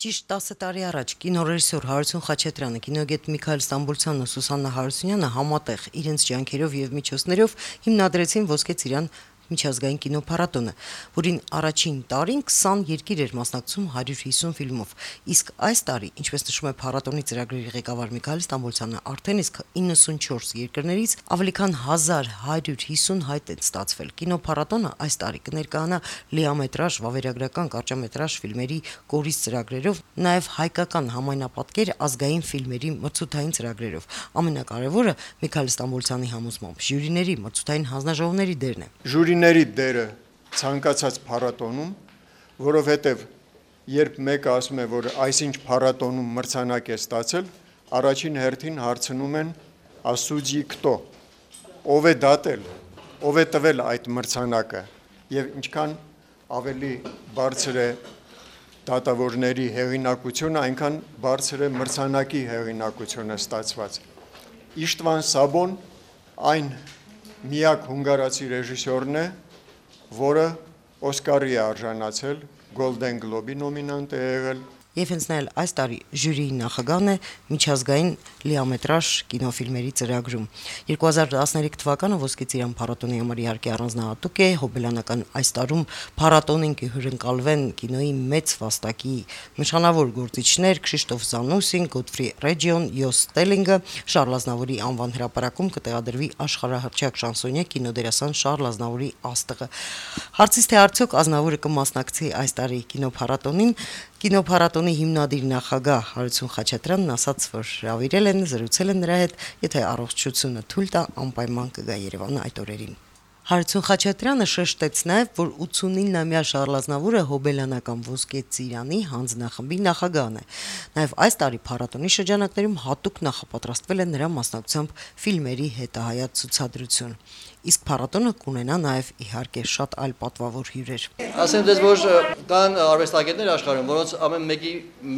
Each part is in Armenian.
Ճիշտ 10 տարի առաջ կինոռեժիսոր Հարություն Խաչատրյանը, կինոգետ Միքայել Ստամբոլցյանն ու Սուսաննա Հարությունյանը համատեղ իրենց ջանքերով եւ միջոցներով հիմնադրեցին Ոսկե ծիրան միջազգային կինոփառատոնը, որին առաջին տարին 20 երկիր էր մասնակցում 150 ֆիլմով, իսկ այս տարի, ինչպես նշում է փառատոնի ծրագրերի ղեկավար Միքայել Ստամբոլցյանը, արդեն իսկ 94 երկրներից ավելի քան 1150 հայտ են ստացվել։ Կինոփառատոնը այս տարի կներկայանա լիամետրաժ, վավերագրական, կարճամետրաժ ֆիլմերի կորիզ ծրագրերով, նաև հայկական համայնապատկեր ազգային ֆիլմերի մրցութային ծրագրերով։ Ամենակարևորը Միքայել Ստամբոլցյանի համոզմամբ ժյուրիների մրցութային հանձնաժողովների դերն է։ Ժյուրիների դերը ցանկացած փառատոնում, որովհետև երբ մեկը ասում է, որ այսինչ փառատոնում մրցանակ է ստացել, առաջին հերթին հարցնում են «Ասուջի քտո», ով է դատել, ով է տվել այդ մրցանակը, եւ ինչքան ավելի բարձր է դատավորների հեղինակությունը, այնքան բարձր է մրցանակի հեղինակությունը ստացված։ Իշտվան Սաբոն այն միակ հունգարացի ռեժիսորն է, որը Օսկարի է արժանացել, Գոլդեն Գլոբի նոմինանտ է եղել։ Եվ հենց նա այս տարի ժյուրիի նախագահն է միջազգային լիամետրաժ կինոֆիլմերի ծրագրում։ 2013 թվականը Ոսկե ծիրան փառատոնի համար իհարկե առանձնահատուկ է, հոբելյանական այս տարում փառատոնին կհյուրընկալվեն կինոյի մեծ վաստակի նշանավոր գործիչներ Քրիշտոֆ Զանուսին, Գոդֆրի Ռեջիոն, Յոս Ստելինգը, Շարլ Ազնավուրի անվան հրապարակում կտեղադրվի աշխարհահռչակ շանսոնյե կինոդերասան Շարլ Ազնավուրի աստղը։ Հարցից թե արդյոք Ազնավուրը կմասնակցի այս տարի կինոփառատոնին, Կինոփառատոնի հիմնադիր նախագահ Հարություն Խաչատրյանն ասաց, որ հրավիրել են, զրուցել են նրա հետ, եթե առողջությունը թույլ տա, անպայման կգա Երևան այդ օրերին։ Հարություն Խաչատրյանը շեշտեց նաև, որ 89-ամյա Շարլ Ազնավուրը հոբելյանական Ոսկե ծիրանի հանձնախմբի նախագահն է։ Նաև այս տարի փառատոնի շրջանակներում հատուկ նախապատրաստվել է նրա մասնակցությամբ ֆիլմերի հետահայաց ցուցադրություն։ Իսկ փառատոնը կունենա նաև իհարկե շատ այլ պատվավոր հյուրեր։ Ասեմ դες, որ կան արվեստագետներ աշխարհում, որոնց ամեն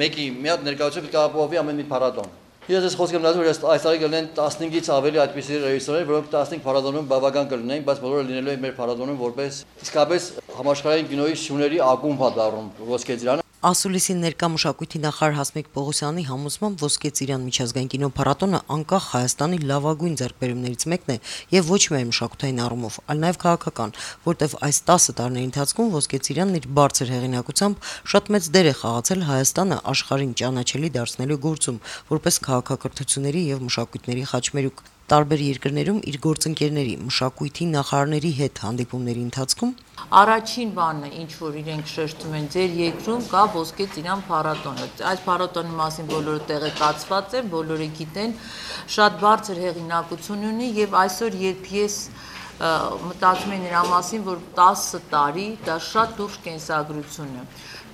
մեկի մի հատ ներկայացում կապովի ամեն մի փառատոն։ Ես ես խոսք եմ լազում, որ այս տարի կլինեն 15-ից ավելի այդպիսի ռեժիսորներ, որոնք 15 փառատոնում բավական կլինեն, բայց բոլորը լինելու են մեր փառատոնում որպես իսկապես համաշխարհային կինոյի շուների ակումբ դառնում Ոսկե ծիրանը։ Ասուլիսի ներկա մշակույթի նախարար Հասմիկ Պողոսյանի համոզմամբ Ոսկե ծիրան միջազգային կինոփառատոնը անկախ Հայաստանի լավագույն ձեռքբերումներից մեկն է եւ ոչ միայն մշակութային առումով, այլ նաեւ քաղաքական, որտեղ այս 10 տարիների ընթացքում Ոսկե ծիրանն իր բարձր հեղինակությամբ շատ մեծ դեր է խաղացել Հայաստանը աշխարհին ճանաչելի դարձնելու գործում, որպես քաղաքակրթությունների եւ մշակույթների խաչմերուկ։ Տարբեր երկրներում իր գործընկերների, մշակույթի նախարարների հետ հանդիպումների ընթացքում առաջին բանը, ինչ որ իրենք շեշտում են, ձեր երկրում կա Ոսկե ծիրան փառատոնը։ Այս փառատոնի մասին բոլորը տեղեկացված են, բոլորը գիտեն, շատ բարձր հեղինակություն ունի եւ այսօր երբ ես մտածում եմ նրա մասին, որ 10 տարի դա շատ լուրջ կենսագրություն է։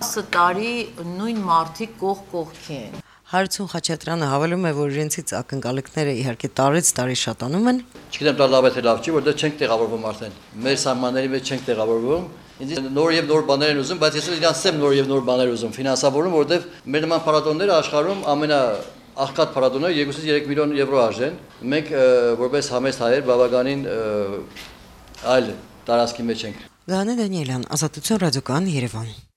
10 տարի նույն մարդիկ կողքի են։ Հարություն Խաչատրյանը հավելում է, որ իրենցից ակնկալիքները իհարկե տարեց տարի շատանում են։ Չգիտեմ դա լավ է թե լավ չի, որտեղ չենք տեղավորվում արդեն։ Մեր սահմանների մեջ չենք տեղավորվում։ Ինձ նոր եւ նոր բաներ են ուզում, բայց ես իրանց եմ նոր եւ նոր բաներ ուզում ֆինանսավորում, որտեղ մեր նման փառատոնները աշխարհում ամենաաղքատ փառատոնները 2-ից 3 միլիոն եվրո արժեն։ Մենք որպես համեստ հայեր բավականին այլ տարածքի մեջ ենք։ Գանե Դանիելյան, Ազատություն ռադիոկայան, Երևան։